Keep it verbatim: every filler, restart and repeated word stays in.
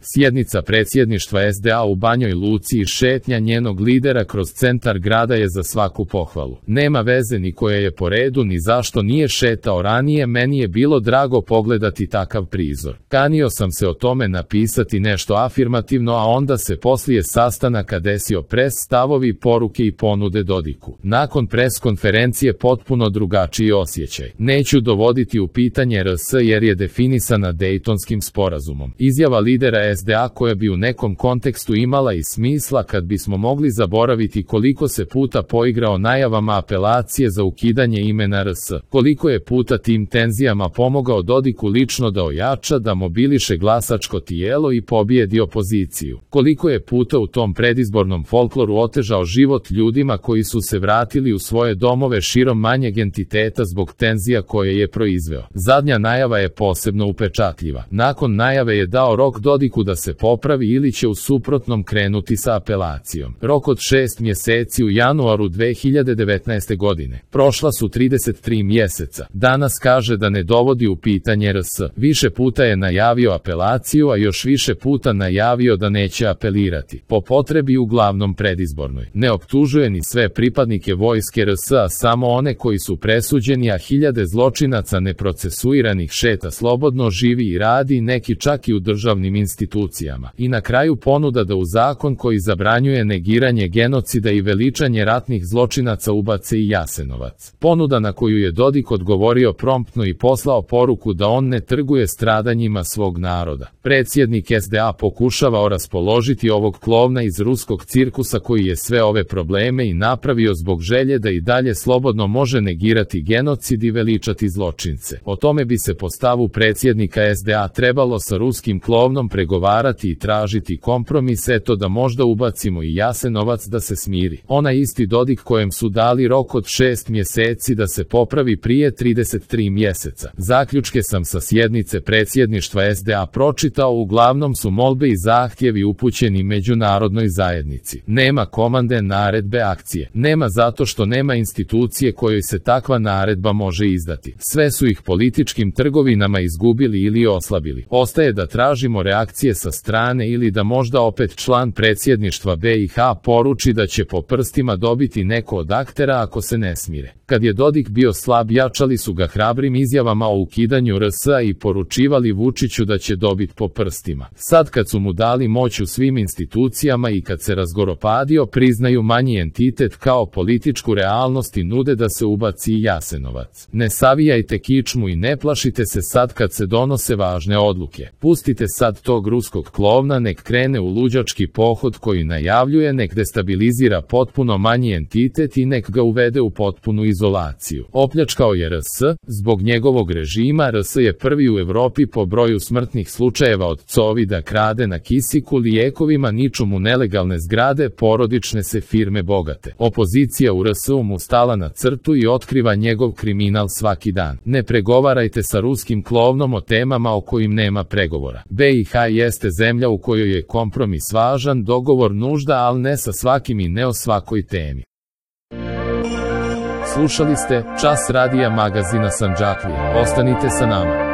Sjednica predsjedništva es de a u Banjoj Luci i šetnja njenog lidera kroz centar grada je za svaku pohvalu. Nema veze ni koja je po redu ni zašto nije šetao ranije, meni je bilo drago pogledati takav prizor. Kanio sam se o tome napisati nešto afirmativno, a onda se poslije sastanaka desio pres, stavovi, poruke i ponude Dodiku. Nakon pres konferencije potpuno drugačiji osjećaj. Neću dovoditi u pitanje er es jer je definisana Dejtonskim sporazumom. Izjava lidera es de a koja bi u nekom kontekstu imala i smisla kad bismo mogli zaboraviti koliko se puta poigrao najavama apelacije za ukidanje imena er es, koliko je puta tim tenzijama pomogao Dodiku lično da ojača, da mobiliše glasačko tijelo i pobijedi opoziciju, koliko je puta u tom predizbornom folkloru otežao život ljudima koji su se vratili u svoje domove širom manjeg entiteta zbog tenzija koje je proizveo. Zadnja najava je posebno upečatljiva. Nakon najave je dao rok Dodiku da se popravi ili će u suprotnom krenuti sa apelacijom. Rok od šest mjeseci u januaru dve hiljade devetnaeste. godine. Prošla su trideset tri mjeseca. Danas kaže da ne dovodi u pitanje er es. Više puta je najavio apelaciju, a još više puta najavio da neće apelirati. Po potrebi uglavnom predizbornoj. Ne optužuje ni sve pripadnike vojske er es, a samo one koji su presuđeni, a hiljade zločinaca neprocesuiranih šeta slobodno, živi i radi, neki čak i u državnim institucijama. I na kraju ponuda da u zakon koji zabranjuje negiranje genocida i veličanje ratnih zločinaca ubace i Jasenovac. Ponuda na koju je Dodik odgovorio promptno i poslao poruku da on ne trguje stradanjima svog naroda. Predsjednik es de a pokušavao raspoložiti ovog klovna iz ruskog cirkusa koji je sve ove probleme i napravio zbog želje da i dalje slobodno može negirati genocid i veličati zločince. O tome bi se po stavu predsjednika es de a trebalo sa ruskim klovnom pregovarati i tražiti kompromis, eto da možda ubacimo i Jasenovac da se smiri. Onaj isti Dodik kojem su dali rok od šest mjeseci da se popravi prije trideset tri mjeseca. Zaključke sam sa sjednice predsjedništva es de a pročitao, uglavnom su molbe i zahtjevi upućeni međunarodnoj zajednici. Nema komande, naredbe, akcije. Nema zato što nema institucije kojoj se takva naredba može izdati. Sve su ih političkim trgovinama izgubili ili oslabili. Ostaje da tražimo reakcije sa strane ili da možda opet član predsjedništva be i ha poruči da će po prstima dobiti neko od aktera ako se ne smire. Kad je Dodik bio slab, jačali su ga hrabrim izjavama o ukidanju er es i poručivali Vučiću da će dobiti po prstima. Sad kad su mu dali moć u svim institucijama i kad se razgoropadio, priznaju manji entitet kao političku realnost i nude da se ubaci i Jasenovac. Ne savijajte kičmu i ne plašite se sad kad se donose važne odluke. Pustite sad tog ruskog klovna, nek krene u luđački pohod koji najavljuje, nek destabilizira potpuno manji entitet i nek ga uvede u potpunu izolaciju. Opljačkao je er es, zbog njegovog režima er es je prvi u Evropi po broju smrtnih slučajeva od covida, krade na kisiku, lijekovima, niču mu nelegalne zgrade, porodične se firme bogate. Opozicija u er es-u mu stala na crtu i otkriva njegov kriminal svaki dan. Ne pregovarajte sa ruskim klovnom o temama o kojim nema pregovora. be i ha jeste zemlja u kojoj je kompromis važan, dogovor nužda, ali ne sa svakim i ne o svakoj temi. Slušali ste Čas radija magazina Sandžaklije. Ostanite sa nama.